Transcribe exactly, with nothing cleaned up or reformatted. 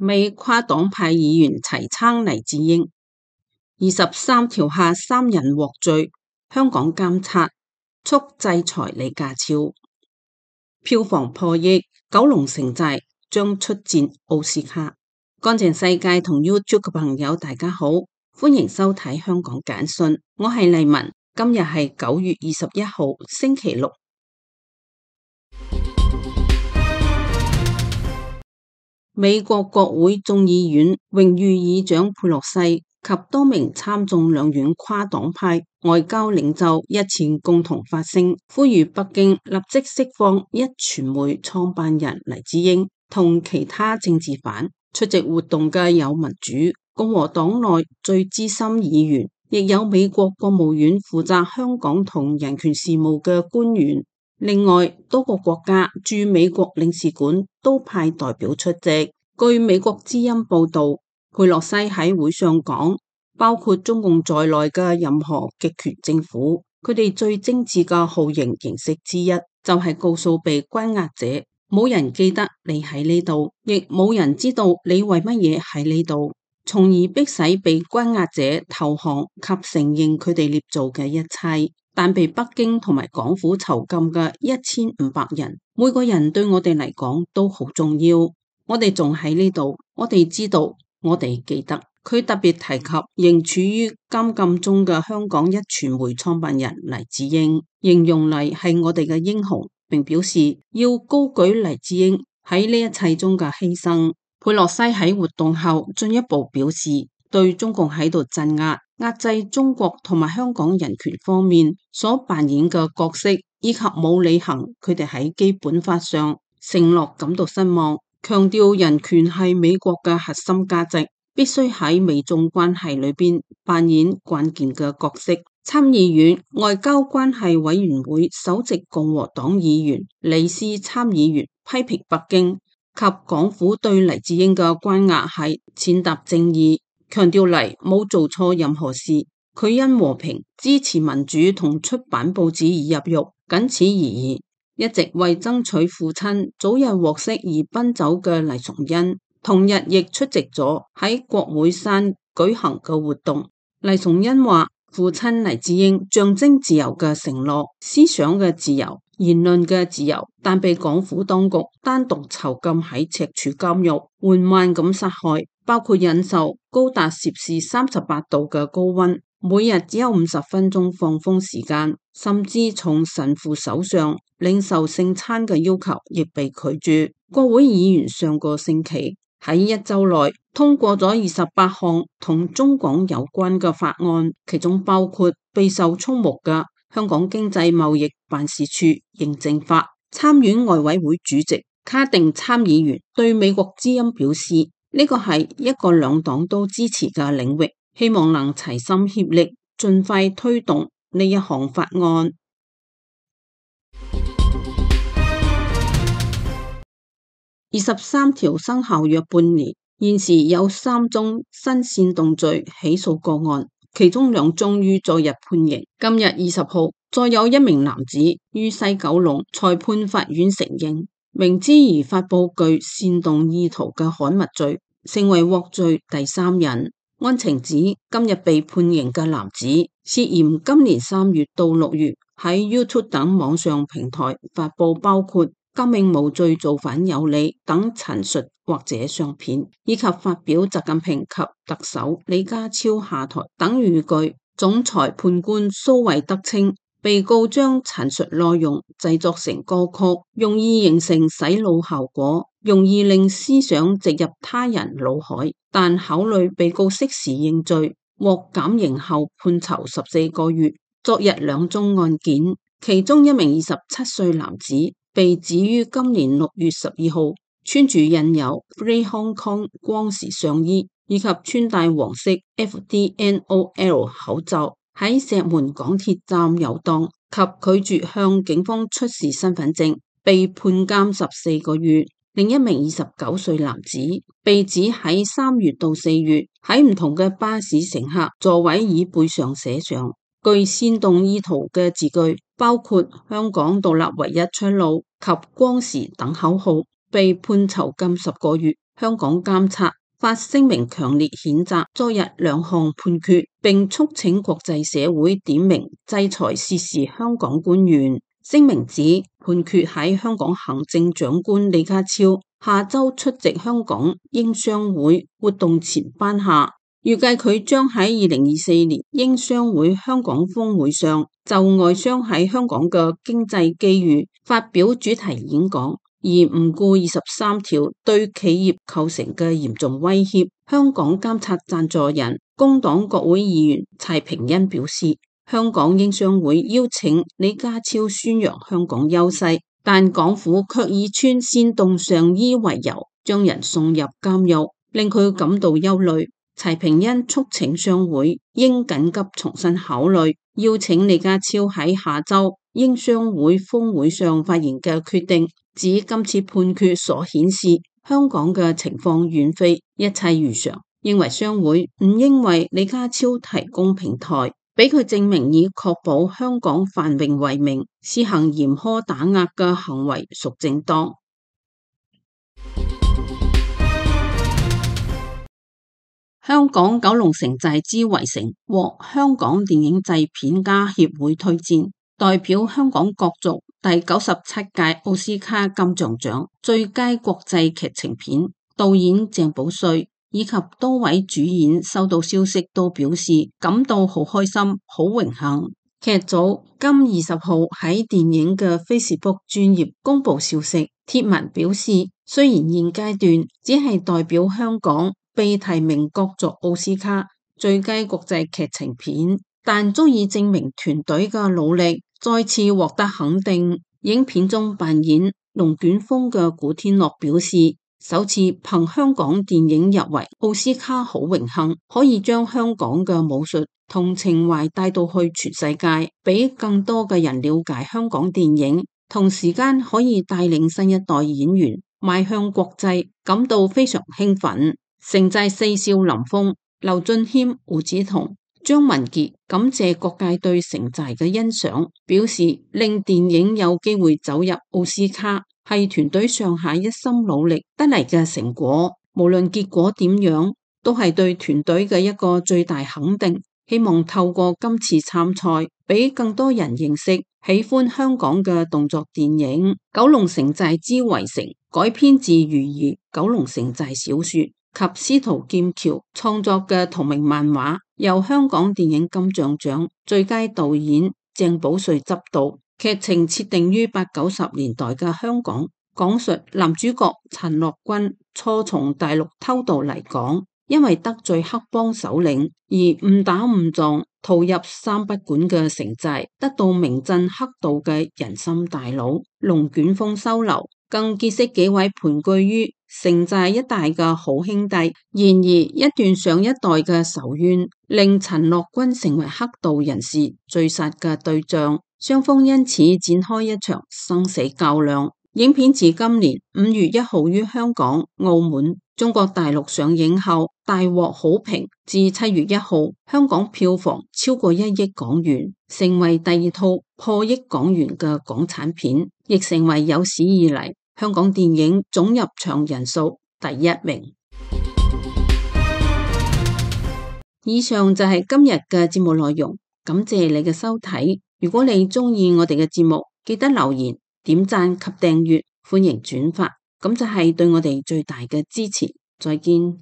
美跨黨派議員齊撐黎智英，二十三條下三人獲罪，香港監察促制裁李家超。票房破億，九龍城寨將出戰奧斯卡。乾淨世界同 YouTube 嘅朋友大家好，歡迎收睇香港簡訊，我係麗文，今日係九月二十一號星期六。美國國會眾議院榮譽議長佩洛西及多名參眾兩院跨黨派外交領袖日前共同發聲，呼籲北京立即釋放一傳媒創辦人黎智英同其他政治犯。出席活動嘅有民主共和黨內最資深議員，亦有美國國務院負責香港同人權事務嘅官員。另外，多個國家駐美國領事館都派代表出席。據美國之音報道，佩洛西喺會上講，包括中共在內嘅任何極權政府，佢哋最精緻嘅酷刑形式之一，就係告訴被關押者，冇人記得你喺呢度，亦冇人知道你為乜嘢喺呢度，從而迫使被關押者投降及承認佢哋捏造嘅一切。但被北京同埋港府囚禁嘅一千五百人，每個人對我哋嚟講都好重要。我哋仲喺呢度，我哋知道，我哋記得。佢特別提及仍處於監禁中嘅香港一傳媒創辦人黎智英，形容黎係我哋嘅英雄，並表示要高舉黎智英喺呢一切中嘅犧牲。佩洛西喺活動後進一步表示，對中共喺度鎮壓、壓制中國同埋香港人權方面所扮演嘅角色，以及冇履行佢哋喺基本法上承諾感到失望，強調人權係美國嘅核心價值，必須喺美中關係裏邊扮演關鍵嘅角色。參議院外交關係委員會首席共和黨議員李斯參議員批評北京及港府對黎智英嘅關押係踐踏正義，強調黎冇做錯任何事，佢因和平支持民主同出版報紙而入獄，僅此而已。一直為爭取父親早日獲釋而奔走嘅黎崇恩，同日亦出席咗喺國會山舉行嘅活動。黎崇恩話，父親黎智英象徵自由嘅承諾、思想嘅自由、言論嘅自由，但被港府當局單獨囚禁喺赤柱監獄，緩慢咁殺害，包括忍受高達攝氏三十八度嘅高溫，每日只有五十分鐘放風時間，甚至從神父手上領受聖餐嘅要求亦被拒絕。國會議員上個星期喺一周內通過咗二十八項同中港有關嘅法案，其中包括備受矚目嘅香港經濟貿易辦事處認證法。參院外委會主席卡定參議員對美國之音表示，呢個係一個兩黨都支持嘅領域，希望能齊心協力盡快推動呢一項法案。二十三條生效約半年，現時有三宗新煽動罪起訴個案，其中兩宗於昨日判刑。今日二十號，再有一名男子於西九龍裁判法院承認，明知而發布具煽動意圖嘅刊物罪，成為獲罪第三人。案情指，今日被判刑嘅男子涉嫌今年三月到六月喺 YouTube 等網上平台發布包括革命無罪造反有理等陳述或者相片，以及發表習近平及特首李家超下台等語句。總裁判官蘇惠德稱，被告將陳述內容製作成歌曲，容易形成洗腦效果，容易令思想植入他人腦海，但考慮被告適時認罪，獲減刑後判囚十四個月。昨日兩宗案件，其中一名二十七歲男子被指於今年六月十二號穿住印有 Free Hong Kong 光時上衣，以及穿戴黃色 F D N O L 口罩喺石門港鐵站遊蕩及拒絕向警方出示身份證，被判監十四個月。另一名二十九歲男子被指喺三月到四月喺唔同嘅巴士乘客座位椅背上寫上具煽動意圖嘅字句，包括香港獨立唯一出路及光時等口號，被判囚禁十個月。香港監察發聲明強烈譴責昨日兩項判決，並促請國際社會點名制裁涉事香港官員。聲明指判決喺香港行政長官李家超下周出席香港英商會活動前頒下，預計佢將喺二零二四年英商會香港峰會上就外商喺香港嘅經濟機遇發表主題演講，而唔顧二十三條對企業構成嘅嚴重威脅。香港監察贊助人工黨國會議員柴平恩表示，香港英商會邀請李家超宣揚香港優勢，但港府卻以穿煽動上衣為由將人送入監獄，令佢感到憂慮。柴平恩促請商會應緊急重新考慮邀請李家超喺下周英商會峰會上發言嘅決定，指今次判決所顯示香港嘅情況遠非一切如常，認為商會唔應為李家超提供平台，俾佢證明以確保香港繁榮為名，施行嚴苛打壓嘅行為屬正當。香港九龍城寨之圍城獲香港電影製片家協會推薦，代表香港角逐第九十七屆奧斯卡金像獎最佳國際劇情片。導演鄭保瑞以及多位主演收到消息都表示感到好開心、好榮幸。劇組今二十號喺電影嘅 Facebook 專頁公布消息，貼文表示，雖然現階段只係代表香港被提名角逐奧斯卡最佳國際劇情片，但足以證明團隊嘅努力再次獲得肯定。影片中扮演龍捲風嘅古天樂表示，首次憑香港電影入圍奧斯卡，好榮幸可以將香港嘅武術同情懷帶到去全世界，俾更多嘅人了解香港電影，同時間可以帶領新一代演員邁向國際，感到非常興奮。城寨四少林峰、劉俊謙、胡子彤、張文傑感謝各界對城寨嘅欣賞，表示令電影有機會走入奧斯卡係團隊上下一心努力得嚟嘅成果，無論結果點樣都係對團隊嘅一個最大肯定。希望透過今次參賽俾更多人認識喜歡香港嘅動作電影。九龍城寨之圍城改編自余兒九龍城寨小說及司徒劍橋創作嘅同名漫畫，由香港電影金像獎最佳導演鄭保瑞執導，劇情設定於八九十年代嘅香港，講述男主角陳樂君初從大陸偷渡嚟港，因為得罪黑幫首領而誤打誤撞逃入三不管嘅城寨，得到名震黑道嘅人參大佬龍捲風收留，更結識幾位盤踞於城寨一帶嘅好兄弟。然而一段上一代嘅仇怨令陳樂君成為黑道人士追殺嘅對象，雙方因此展開一場生死較量。影片自今年五月一號於香港、澳門、中國大陸上映後大獲好評，至七月一號香港票房超過一億港元，成為第二套破億港元嘅港產片，亦成為有史以嚟香港電影總入場人數第一名。以上就係今日嘅節目內容，感謝你嘅收睇。如果你鍾意我哋嘅節目，記得留言、點讚及訂閱，歡迎轉發，咁就係對我哋最大嘅支持。再見。